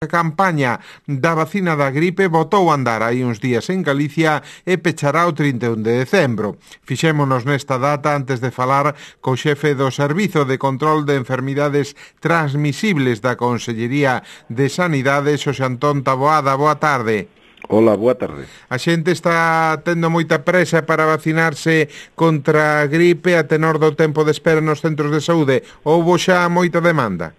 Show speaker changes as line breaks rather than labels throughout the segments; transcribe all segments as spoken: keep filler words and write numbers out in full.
A campaña da vacina da gripe botou a andar hai uns días en Galicia e pechará o trinta e un de decembro. Fixémonos nesta data antes de falar co xefe do Servizo de Control de Enfermidades Transmisibles da Consellería de Sanidade, Xosé Antón Taboada. Boa tarde.
Hola, boa tarde.
A xente está tendo moita presa para vacinarse contra a gripe a tenor do tempo de espera nos centros de saúde. Houbo xa moita demanda?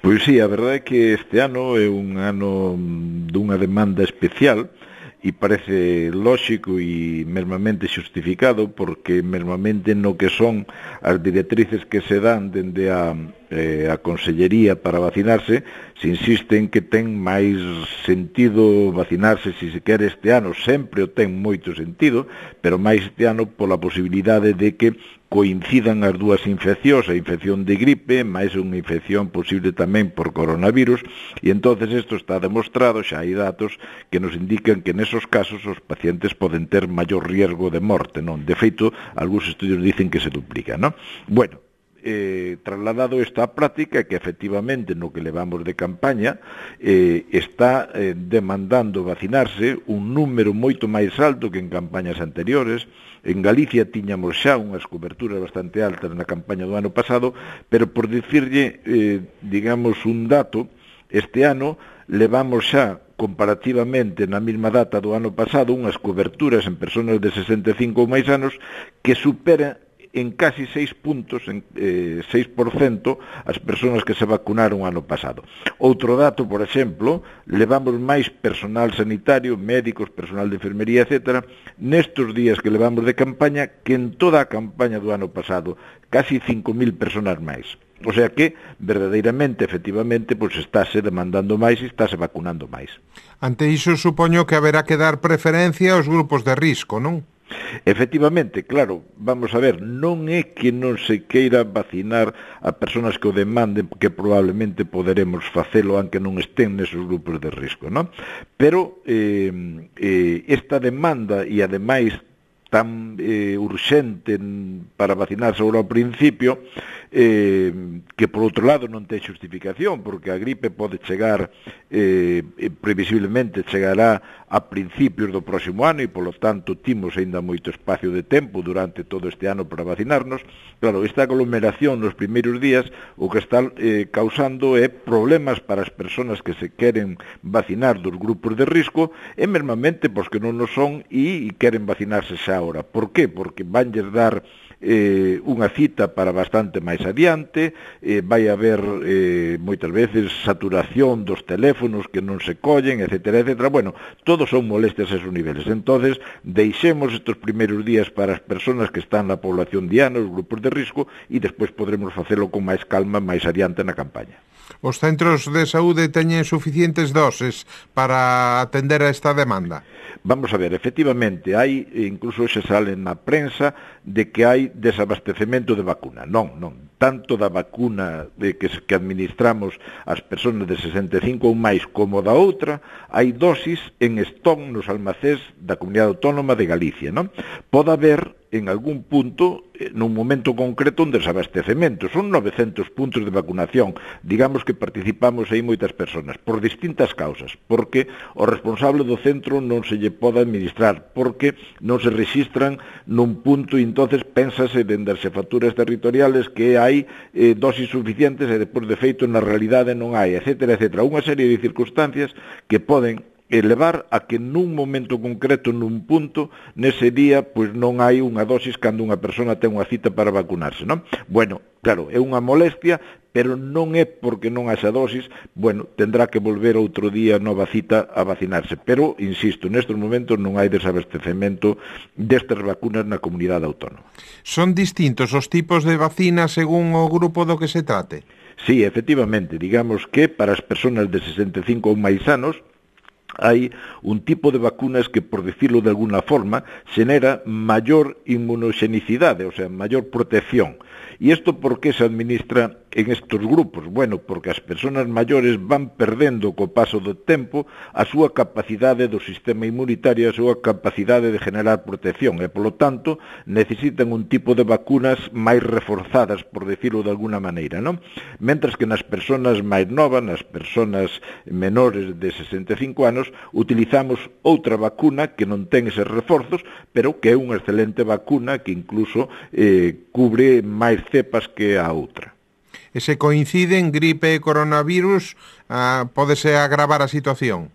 Pois sí, a verdade é que este ano é un ano dunha demanda especial e parece lóxico e mesmamente xustificado porque mesmamente no que son as directrices que se dan dende a, eh, a Consellería para vacinarse se insiste en que ten máis sentido vacinarse se se quere este ano, sempre o ten moito sentido, pero máis este ano pola posibilidade de que coincidan as dúas infeccións, a infección de gripe, máis unha infección posible tamén por coronavirus, e entonces isto está demostrado, xa hai datos que nos indican que nesos casos os pacientes poden ter maior riesgo de morte, non? De feito, algúns estudios dicen que se duplica, non? Bueno, Eh, trasladado esta práctica que efectivamente no que levamos de campaña eh, está eh, demandando vacinarse un número moito máis alto que en campañas anteriores. En Galicia tiñamos xa unhas coberturas bastante altas na campaña do ano pasado, pero por dicirlle, eh, digamos, un dato, este ano levamos xa comparativamente na mesma data do ano pasado unhas coberturas en persoas de sesenta e cinco ou máis anos que supera en casi seis puntos, en eh, seis por cento, as persoas que se vacunaron ano pasado. Outro dato, por exemplo, levamos máis personal sanitario, médicos, personal de enfermería, etcétera, nestos días que levamos de campaña, que en toda a campaña do ano pasado, casi cinco mil persoas máis. O sea que, verdadeiramente, efectivamente, pois estáse demandando máis e estáse vacunando máis.
Ante iso, supoño que haberá que dar preferencia aos grupos de risco, non?
Efectivamente, claro, vamos a ver, non é que non se queira vacinar a persoas que o demanden, que probablemente poderemos facelo aunque non estén nesos grupos de risco, non? Pero eh, eh, esta demanda e ademais tan eh, urxente para vacinarse agora ao principio, eh, que por outro lado non ten justificación, porque a gripe pode chegar, eh, previsiblemente chegará a principios do próximo ano e, polo tanto, timos ainda moito espacio de tempo durante todo este ano para vacinarnos. Claro, esta aglomeración nos primeiros días o que está eh, causando é problemas para as persoas que se queren vacinar dos grupos de risco e, mesmamente, pois que non o son e, e queren vacinarse xa ahora. Por qué? Porque vanlles dar eh, unha cita para bastante máis adiante, eh, vai haber eh, moitas veces saturación dos teléfonos que non se collen, etcétera, etcétera. Bueno, todos son molestias a esos niveles. Entonces, deixemos estos primeiros días para as persoas que están na población diana, os grupos de risco, e despois podremos facelo con máis calma máis adiante na campaña.
Os centros de saúde teñen suficientes doses para atender a esta demanda?
Vamos a ver, efectivamente, hai, incluso se sale na prensa, de que hai desabastecemento de vacuna. Non, non. Tanto da vacuna de que, que administramos ás persoas de sesenta e cinco ou máis como da outra, hai dosis en stock nos almacéns da Comunidade Autónoma de Galicia, non? Pode haber en algún punto, nun momento concreto, un desabastecemento. Son novecentos puntos de vacunación. Digamos que participamos aí moitas persoas, por distintas causas, porque o responsable do centro non se lle pode administrar, porque non se registran nun punto e entonces pénsase dende as xefaturas territoriales que hai eh, dosis suficientes e depois de feito na realidade non hai, etcétera, etcétera. Unha serie de circunstancias que poden elevar a que nun momento concreto, nun punto, nese día, pois non hai unha dosis cando unha persona ten unha cita para vacunarse, non? Bueno, claro, é unha molestia, pero non é porque non haxa dosis, bueno, tendrá que volver outro día nova cita a vacinarse. Pero, insisto, nestes momentos non hai desabastecemento destas vacunas na comunidade autónoma.
Son distintos os tipos de vacinas según o grupo do que se trate?
Sí, efectivamente, digamos que para as persoas de sesenta e cinco ou máis anos, hai un tipo de vacunas que, por decirlo de alguna forma, xenera maior inmunoxenicidade, o sea, maior protección. E isto por que se administra en estos grupos? Bueno, porque as persoas maiores van perdendo co paso do tempo a súa capacidade do sistema inmunitario, a súa capacidade de generar protección, e, polo tanto, necesitan un tipo de vacunas máis reforzadas, por decirlo de alguna maneira, non? Mentras que nas persoas máis novas, nas persoas menores de sesenta e cinco anos, utilizamos outra vacuna que non ten eses reforzos, pero que é unha excelente vacuna que incluso eh, cubre máis cepas que a outra.
E se coinciden gripe e coronavirus, ah, pódese agravar a situación?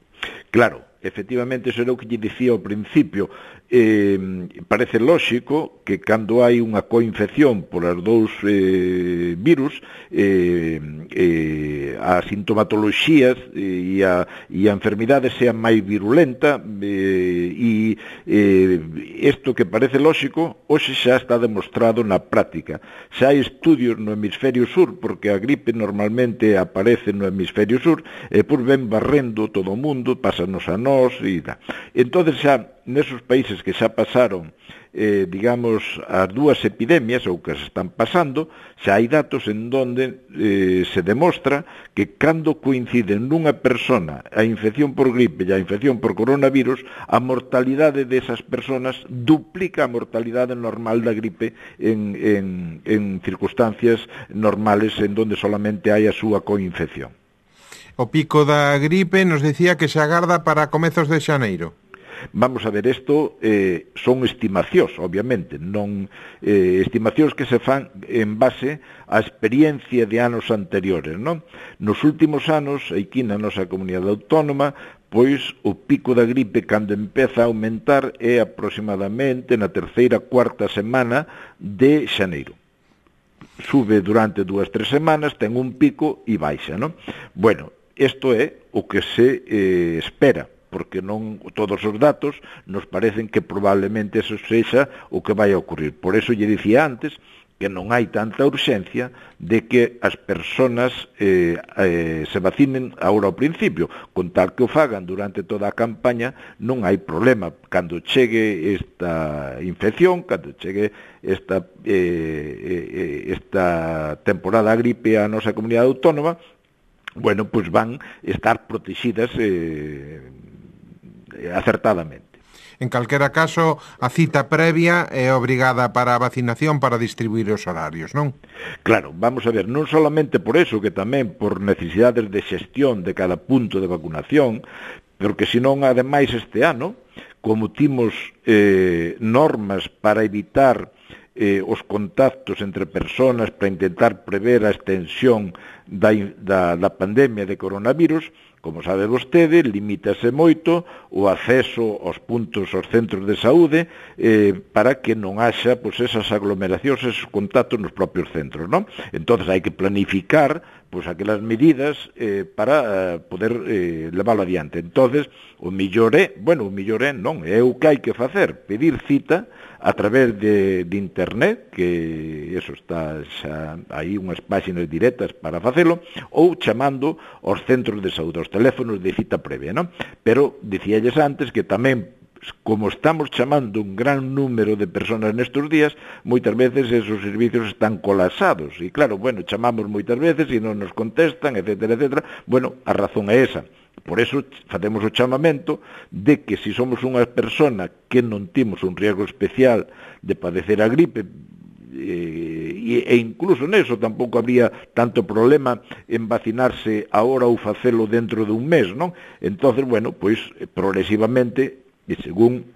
Claro, efectivamente, eso era o que lle dicía ao principio. Eh, parece lóxico que cando hai unha coinfección por as dous eh, virus, eh, eh, a sintomatoloxías e a, e a enfermidade sea máis virulenta, eh, e eh, isto que parece lóxico hoxe xa está demostrado na práctica. Xa hai estudios no hemisferio sur, porque a gripe normalmente aparece no hemisferio sur e por ven barrendo todo o mundo, pásanos a nós e tal. Entón xa nesos países que xa pasaron, eh, digamos, as dúas epidemias, ou que se están pasando, xa hai datos en donde eh, se demostra que cando coinciden nunha persona a infección por gripe e a infección por coronavirus, a mortalidade desas personas duplica a mortalidade normal da gripe en, en, en circunstancias normales en donde solamente hai a súa coinfección.
O pico da gripe nos decía que se agarda para comezos de xaneiro.
Vamos a ver, isto eh, son estimacións, obviamente, non eh, estimacións que se fan en base á experiencia de anos anteriores, non? Nos últimos anos, aquí na nosa comunidade autónoma, pois o pico da gripe cando empeza a aumentar é aproximadamente na terceira, cuarta semana de xaneiro. Sube durante dúas, tres semanas, ten un pico e baixa, non? Bueno, isto é o que se eh, espera, porque non todos os datos nos parecen que probablemente eso sexa o que vai a ocurrir. Por eso lle dicía antes que non hai tanta urxencia de que as persoas eh, eh, se vacinen agora ao principio, con tal que o fagan durante toda a campaña, non hai problema. Cando chegue esta infección, cando chegue esta, eh, esta temporada gripe a nosa comunidade autónoma, bueno, pois van estar protegidas eh, acertadamente.
En calquera caso, a cita previa é obrigada para a vacinación para distribuir os horarios, non?
Claro, vamos a ver, non solamente por eso, que tamén por necesidades de xestión de cada punto de vacunación, porque senón, ademais, este ano, como timos eh, normas para evitar eh, os contactos entre persoas, para intentar prever a extensión da, da, da pandemia de coronavirus, como sabe vostede, limítase moito o acceso aos puntos, aos centros de saúde, eh, para que non haxa pois, esas aglomeracións, esos contactos nos propios centros, non? Entón, hai que planificar pois, aquelas medidas eh, para eh, poder eh, leválo adiante. Entón, o millor é, bueno, o millor é non, é o que hai que facer, pedir cita a través de, de internet, que eso está xa, hai unhas páxinas directas para facelo, ou chamando aos centros de saúde, aos teléfonos de cita previa, non? Pero dicíalles antes que tamén, como estamos chamando un gran número de persoas nestes días, moitas veces esos servicios están colapsados, e claro, bueno, chamamos moitas veces e non nos contestan, etcétera, etcétera. Bueno, a razón é esa. Por eso facemos o chamamento de que se somos unha persona que non temos un riesgo especial de padecer a gripe, e, e incluso neso tampouco habría tanto problema en vacinarse agora ou facelo dentro de un mes, non? Entonces, bueno, pois progresivamente, e según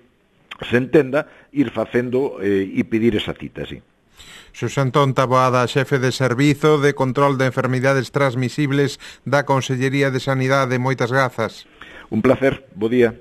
se entenda, ir facendo eh, e pedir esa cita, sí.
Xosé Antón Taboada, xefe de Servizo de Control de Enfermidades Transmisibles da Consellería de Sanidade. Moitas grazas.
Un placer, bo día.